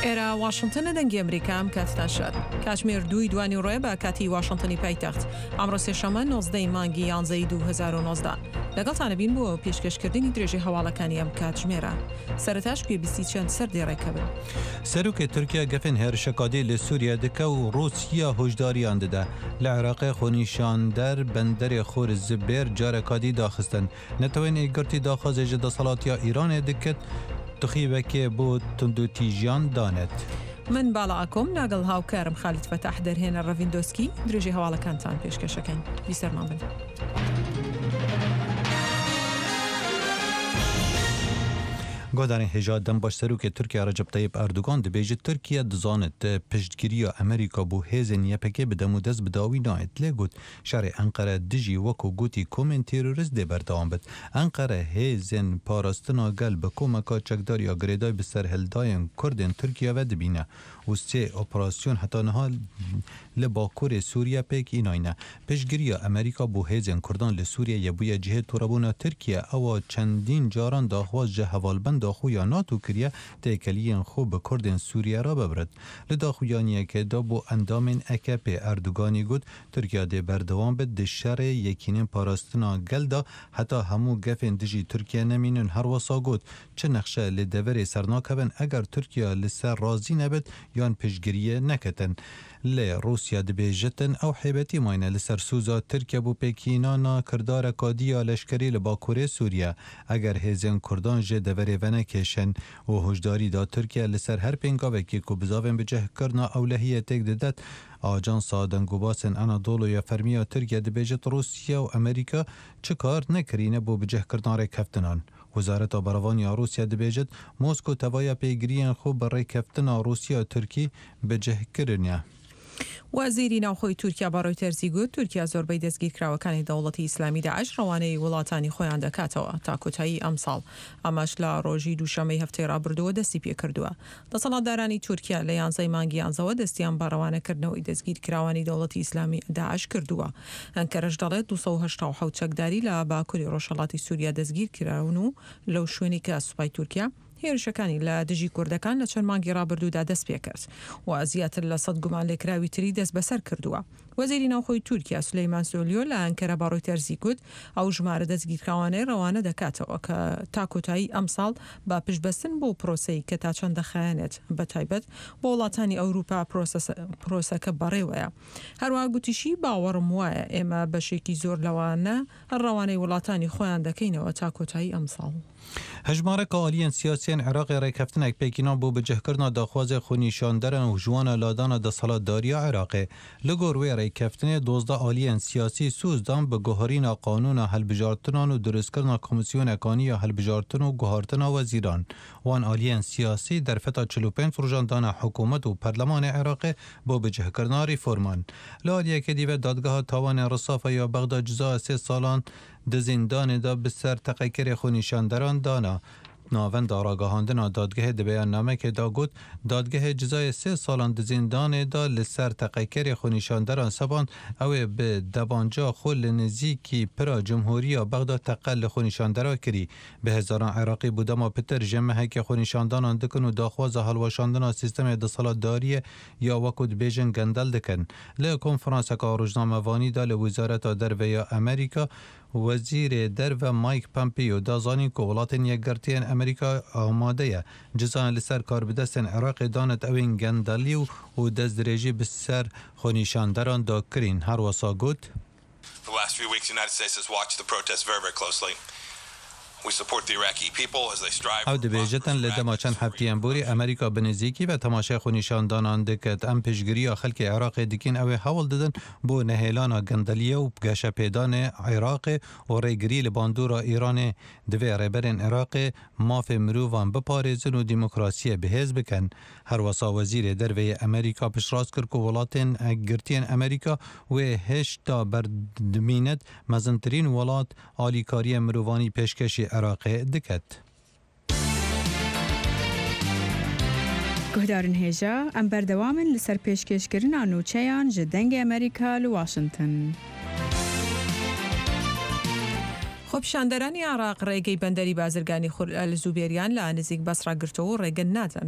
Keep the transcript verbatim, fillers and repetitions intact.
ئێرە واشنتنە، دەنگی ئەمریکا. ئەم کاتتان شاد. کاتژمێر دووی دوانی ڕۆیە بە کاتی واشنتنی پایتەخت. ئەمڕۆ سێشەممە نۆزدە ی مانگی یانزەی دوو هەزار و نۆزدە. لەگەڵتانە بین بۆ پێشکەشکردنی درێژەی هەواڵەکانی ئەم کاتژمێرە. سەرەتاش گوێبیستی چەند سەردێڕێکە بن. سەرۆکê Tirkiye gefên hêrişekadî li Sûriye dike û Rûsya huşdariyan dide. Li Iraqê xwenîşander benderê Xor Zibêr carekadî daxistin. Netewên Yekgirtî daxwazê ji desthilatiya Îranê diket تخیبەکێ بۆ توندوتیژیان دانێت. من باڵا ئاکۆم ناگەڵ هاوکارم خالید فەتاح دەرهێنەر ڕەڤین دۆسکی درێژەی هەواڵەکانتان پێشکەشەکەین. بیسەرمان بن. گۆدارên hêja dem baş Serokê Tirkiye Recep Tayyip Erdogan dibêje Tirkiye dizanit piştgiriya Amerîka bo hêzên Y P G bi dem û dest bi dawî nayê. Lê got şerê Enqere dijî wekû gotî komên terorîst dê berdewam bit. Enqere hêzên parastina gel bi komeka çekdar ya girêdayî bi serhildayên Kurdên Tirkiye ve dibîne û sê operasyon heta niha li Bakurê Sûriye pêk înayne. Piştgiriya Amerîka bo hêzên Kurdan li Sûriyeyê bûye cihê torebûna Tirkiye ewa çendîn caran daxwaz ji hevalbenda xwe ya NATO kiriye têkeliyên xwe bi Kurdên Sûriye re bibirit. Li daxuyaniyekê de bo endamên A K P Erdoganî got Tirkiye dê berdewam be di şerê yekînên parastina gel de heta hemû gefên dijî Tirkiye nemînin. Her wisa got çi nexşe li deverê sernakevin eger Tirkiye li ser razî nebit yan piştgiriyê neketin. Lê Rûsya dibêjitin ew hêbetî mayne li ser soza Tirkiye bo pêkînana kirdareka dî ya leşkerî li Bakurê Sûriye eger hêzên Kurdan ji deverê venekêşin û huşdarî da Tirkiye li ser her pêngavekî ku bizavên bicihkirina ewlehiyê têk didet. Ajansa Dengûbasên Anadolu ya fermî ya Tirkiye dibêjit Rûsya û Amerîka çi kar nekirîne bo bicihkirina rêkeftinan. Wezareta Berevaniya Rûsya dibêjit Moskow tevaya pêgiriyên xwe bi rêkeftina Rûsya Tirkî bicih kirine. وەزیری ناوخۆی تورکیا بە ڕۆیتەرزی گوت تورکیا زۆربەی دەستگیرکراوەکانی دەوڵەتی ئیسلامی داعش ڕەوانەی وڵاتانی خۆیان دەکاتەوە تا کۆتایی ئەمساڵ. ئەمەش لە ڕۆژی دووشەمەی هەفتەی ڕابردووە دەستی پێکردووە. دەسەڵاتدارانی تورکیا لە یانزەی مانگی یانزەوە دەستیان بە ڕەوانەکردنەوەی دەستگیرکراوانی دەوڵەتی ئیسلامی داعش کردووە. ئەنکەرەش دەڵێت دوو سەد و هەشتا و حەوت چەکداری لە باکووری ڕۆژهەڵاتی سووریا دەستگیرکراون و لەو شوێنی کە سوپای تورکیا هێرشەکانی لە دژی کوردەکان لە چەند مانگی ڕابردوودا دەست پێکرد و زیاتر لە سەد گومانلێکراوی تری دەست بەسەر کردووە. وەزیری ناوخۆی تورکیا سولەیمان سۆلیۆ لە ئەنکەرە بە ڕۆیتەرزی گوت ئەو ژمارە دەستگیرکراوانەی ڕەوانە دەکاتەوە کە تا کۆتایی ئەمساڵ بە پشتبەستن بۆ پرۆسەی کە تا چەند دەخایەنێت بە تایبەت بۆ وڵاتانی ئەوروپا پرۆسەکە بەڕێوەیە. هەروەها گوتیشی باوەڕم وایە ئێمە بەشێکی زۆر لەوانە ڕەوانەی وڵاتانی خۆیان دەکەینەوە تا کۆتایی ئەمساڵ. هەژمارەکە ئالیەن سیاسیان عێراقی ڕێککەفتنێک پێکینان بۆ بجهکردنا داخوازê xwenîşanderan û jiwana ladana desthilatdariya Iraqê. Li gor wê rêkeftinê dozdeh aliyên siyasî soz dan bi guherîna qanûna hilbijartinan û dirustkirina komîsyonekaniya ya hilbijartin û guhartina wezîran. Wan aliyên siyasî derfeta çil û pênc rojan dana hikûmet û perlemanê Iraqê bo bicihkirina reforman. Li aliyekê dî ve dadgeha tawanê Risafa ya Bexda cizaya sê salan di zîndanê de bi ser teqekerê xwenîşanderan dana. Navenda ragihandina dadgehê di beyannamekê de got dadgehê cizayê sê salan di zîndanê de li ser teqekerê xwenîşanderan sepand ew ê bi debanca xwe li nêzîkî pira Cumhuriya Bexda teqe li xwenîşandera kirî. Bi hezaran Iraqî bû dema pitir ji mehekê xwenîşandanan dikin û daxwaza hilweşandina sîstemê desthilatdariyê ya wekû dibêjin gendel dikin. Li konferanseka rojnamevanî de li Wezareta Derve ya Amerîka Wezîrê Derve Mike Pompeo da zanîn ku Welatên Yekgirtiyên Amerîka amade ye cizayên li ser karbidestên Iraqê danet ewên gendelî û destdirêjî bi ser xwenîşanderan da kirîn. Her wisa got: For the last few weeks, the United States has watched the protests very, very closely. We support the Iraqi people as they strive Ew dibêjitin li dema çend hefteyên borî Amerîka bi nêzîkî ve temaşeya xwenîşandanan diket. Em piştgiriya xelkê Iraqê dikin ew ê hewl didin bo nehêlana gendeliyê û geşepêdanê Iraqê û rêgirî li bandora Îranê divê rêberên Iraqê mafê mirovan biparêzin û demokrasiyê bihêz bikin. Her wisa Wezîrê Derve yê Amerîka piştrast kir ku Welatên Yekgirtiyên Amerîka wê hêşta berdimînet mezintirîn welat alîkariyê mirovanî pêşkeşî Iraqê diket. Guhdarên hêja, em berdewam in li ser pêşkêşkirina nûçeyan ji Dengê Amerîka li Washington. خۆپیشاندەرانی عێراق ڕێگەی بەندەری بازرگانی خور ئەلزوبێریان لە نزیک بەسڕا گرتەوە و ڕێگە نادەن بە